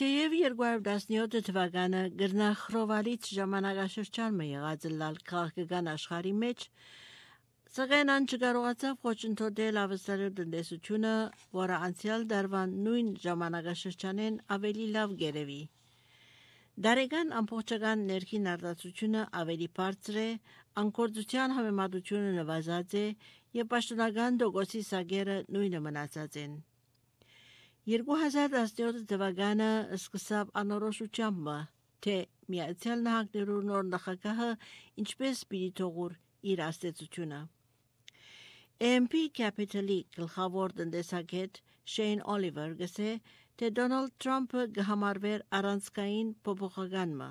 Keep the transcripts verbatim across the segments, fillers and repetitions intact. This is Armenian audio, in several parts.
Թեև երկու հազար տասնյոթ թվականը գրնախրովալից ժամանակաշրջան մը եղած լալ քաղաքական աշխարհի մեջ, սակայն ան չկարողացավ խոչընդոտել ավստրալիա տնտեսությունը, որը անցյալ դարվան նույն ժամանակաշրջանեն ավելի լավ գերեվի։ Դարեգան ամբողջական ներքին արտադրությունը ավելի բարձր է, անկորձության համեմատությունը նվազած է եւ պաշտոնական դոգոսի սագերը նույնը մնացած են։ երկու հազար տասնյոթ թվականը սկսավ անորոշությամբ, թե Միացյալ Նահանգներու նոր նախագահը ինչպես պիտի թողուր իր աստեցությունը։ A M P Capital-ի գլխավոր տնտեսագետ Շեյն Օլիվեր գսե, թե Դոնալդ Թրամփը գհամարվեր առանցքային փոփոխականը։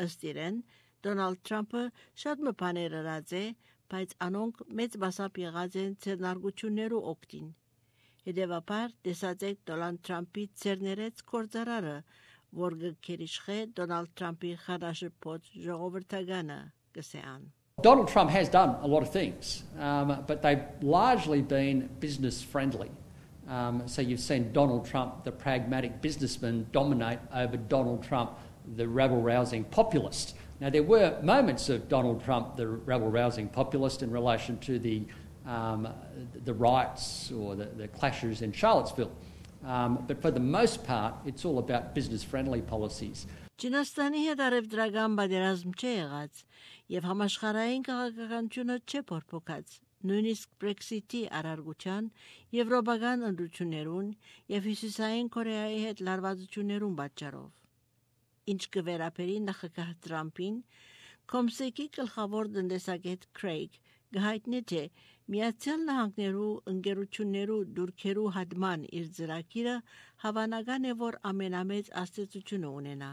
Ըստ իրեն, Դոնալդ Թրամփը շատ մը բաներ արած է, բայց անոնք մեծ մասամբ եղած են ցերնարգություններու օգտին։ Հետևաբար տեսածեք Դոնալդ Թրամփի ցերներեց կորձարարը, որ գերիշխե Դոնալդ Թրամփի խարաշփոթ ժողովրդականը գսեան։ Donald Trump has done a lot of things, um, but they've largely been business friendly. Um, so you've seen Donald Trump, the pragmatic businessman, dominate over Donald Trump, the rabble-rousing populist. Now, there were moments of Donald Trump, the rabble-rousing populist, in relation to the um, the riots or the, the clashes in Charlottesville. Um, but for the most part, it's all about business-friendly policies. Չինաստանի հետ արևդրական պատերազմ չէ եղած եւ համաշխարհային քաղաքականությունը չէ փոփոխած, նույնիսկ Brexit-ի արարգության, եվրոպական ընդրություններուն եւ հյուսիսային Կորեայի հետ լարվածություններուն պատճառով։ Ինչ կվերապերի նախագահ Թրամփին, Կոմսեկի գլխավոր տնտեսագետ Քրեյգ գահիտնի թե Միացյալ Նահանգներու ընկերություններու դուրքերու հատման իր ծրագիրը հավանական է, որ ամենամեծ աստեցությունը ունենա։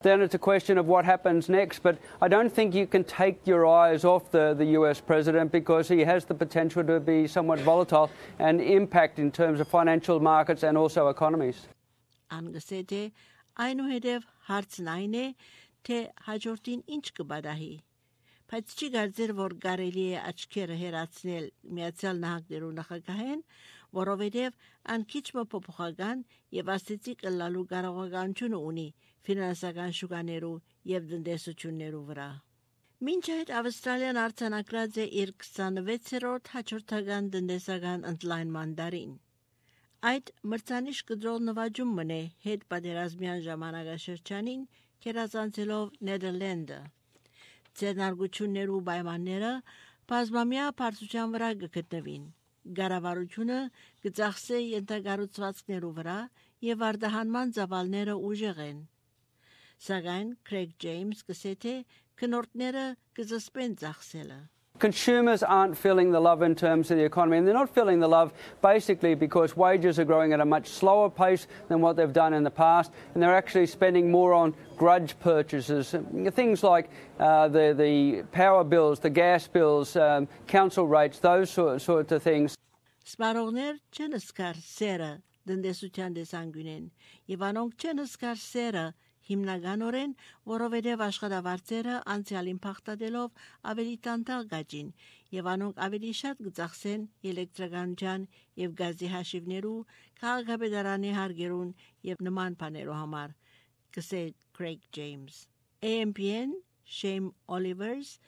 Then it's a question of what happens next, but I don't think you can take your eyes off the, the U S president because he has the potential to be somewhat volatile and impact in terms of financial markets and also economies. Անգսեթե այնուհետև հարցն այն է, թե հաջորդին ինչ կբադահի։ Բայց չի կարծեր, որ կարելի է աչքերը հերացնել Միացյալ Նահանգներու նախագահեն, որովհետև ան քիչ մը փոփոխական եւ աստեցիկ լալու կարողականություն ունի ֆինանսական շուկաներու եւ տնտեսություններու վրա։ Մինչ այդ Ավստրալիան արձանագրած է իր քսանվեցերորդ հաջորդական տնտեսական ընդլայնման դարին։ Այդ մրցանիշ կդրող նվաճում մնե հետ պատերազմյան ժամանակաշրջանին կերազանցելով Նեդերլանդը։ Ցերնարգություններու պայմանները բազմամյա բարձրության վրա կգտնվին։ Գարավարությունը կծախսե ենթակառուցվածքներու վրա եւ արդահանման ծավալները ուժեղ են։ Սակայն Craig James գսե թե քնորդները կզսպեն ծախսելը։ Consumers aren't feeling the love in terms of the economy, and they're not feeling the love basically because wages are growing at a much slower pace than what they've done in the past, and they're actually spending more on grudge purchases, things like uh, the, the power bills, the gas bills, um, council rates, those sort, sorts of things. Սպառողներ չեն սկար սերը դնդեսության դեսանգունեն, եւ անոնք չեն սկար սերը հիմնականորեն, որովհետև աշխատավարձերը անցյալին փախտadելով ավելի տանտալ գաջին եւ անոնք ավելի շատ կծախսեն էլեկտրականության եւ գազի հաշիվներու, քաղաքապետարանի հարգերուն եւ նման բաներու համար, կսե Craig James. A M P-ն Shane Olivers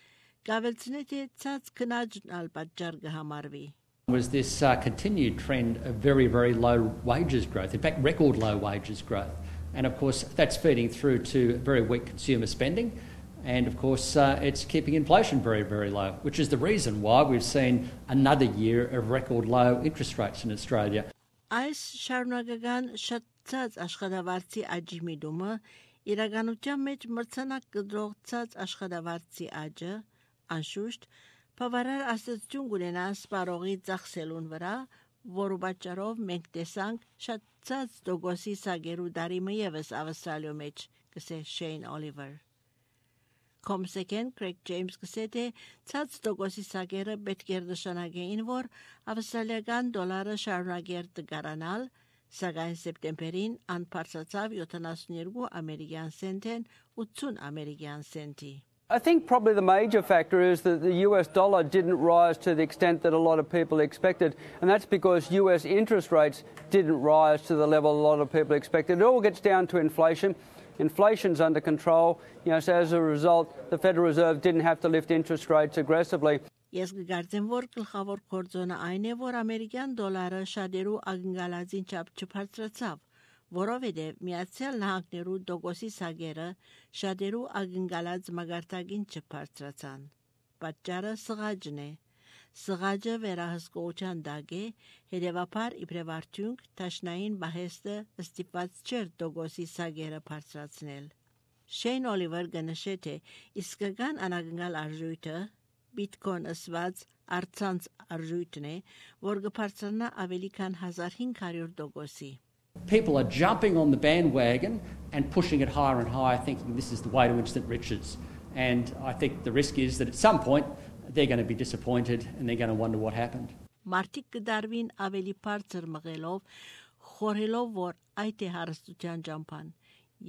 գավելցնե թե ցած քնաջն ալ պատճառ կհամարվի. Was this uh, continued trend of very, very low wages growth, in fact record low wages growth. And of course that's feeding through to very weak consumer spending, and of course uh, it's keeping inflation very, very low, which is the reason why we've seen another year of record low interest rates in Australia. Այս շարունակական շատած աշխատավարձի աճի միտումը իրականության մեջ մրցանակ կդրողցած աշխատավարձի աճը անշուշտ բավարար աստեցություն կունենա սպառողի ծախսելուն վրա, որու պատճառով մենք տեսանք շատած դոգոսի սագերու դարիմը եւս Ավստրալիո մեջ, կսե Շեյն Օլիվեր։ Կոմսեկեն Craig James գսե թե ցած դոգոսի սագերը պետք է նշանակեին, որ ավստրալիական դոլարը շարունակեր տգարանալ, սակայն սեպտեմբերին ան բարձրացավ յոթանասունյոթ ամերիկյան սենտեն ութսուն ամերիկյան սենտի։ I think probably the major factor is that the U S dollar didn't rise to the extent that a lot of people expected, and that's because U S interest rates didn't rise to the level a lot of people expected. It all gets down to inflation. Inflation's under control, you know, so as a result, the Federal Reserve didn't have to lift interest rates aggressively. Ես կգործեմ, որ գլխավոր կորձոնը այն է, որ ամերիկյան դոլարը շատերու ակնկալածին չափ չբարձրացավ, որովհետև Միացյալ Նահանգներու դոգոսի սագերը շատերու ակնկալած մագարտակին չբարձրացան։ Պատճառը սղաճն է։ Սղաճը վերահսկողության դակ է, հետևաբար իբրև արդյունք տաշնային բահեստը ստիպված չէր դոգոսի սագերը բարձրացնել։ Շեյն Օլիվեր կնշե, թե իսկական անակնկալ արժույթը Bitcoin ըսված արցանց արժույթն է, որ կբարձրանա ավելի քան one thousand five hundred դոգոսի։ People are jumping on the bandwagon and pushing it higher and higher, thinking this is the way to instant riches. And I think the risk is that at some point they're going to be disappointed and they're going to wonder what happened. Մարդիկ կդարվին ավելի բարձր մղելով, խորհելով, որ այդ է հարստության ճամփան,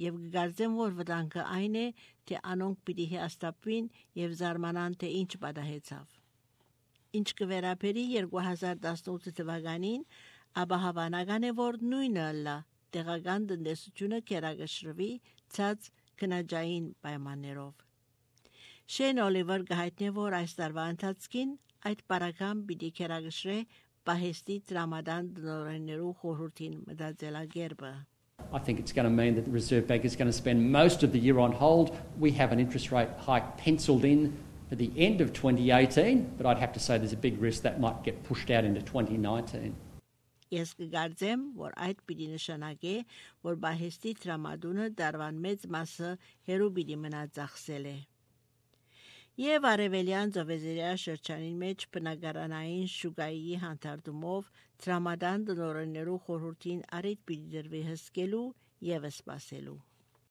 եւ կգարձեմ, որ վտանգը այն է, թե անոնք պիտի հաստատվին եւ զարմանան, թե ինչ պատահեցավ։ Ինչ կվերապերի two thousand eighteen թվականին, ապա հավանական է, որ նույնը լա տեղական տնտեսությունը կերակշռվի ցած քնաջային պայմաններով։ Շեյն Օլիվեր գահիտնե, որ այս տարվա ընթացքին այդ բարակամ պիտի կերակշռե պահեստի տրամադան դնորեններու խորհրդին մտածելակերպը։ I think it's going to mean that the Reserve Bank is going to spend most of the year on hold. We have an interest rate hike penciled in for the end of twenty eighteen, but I'd have to say there's a big risk that might get pushed out into twenty nineteen. Ես կգարձեմ, որ այդ պիտի նշանակե, որ բահեստի տրամադունը դարվան մեծ մասը հերու պիտի մնա ծախսել է։ Եվ արևելյան ծովեզերիա շրջանին մեջ բնակարանային շուկայի հանդարտումով տրամադան դնորեններու խորհրդին առիթ պիտի դրվի հսկելու և սպասելու։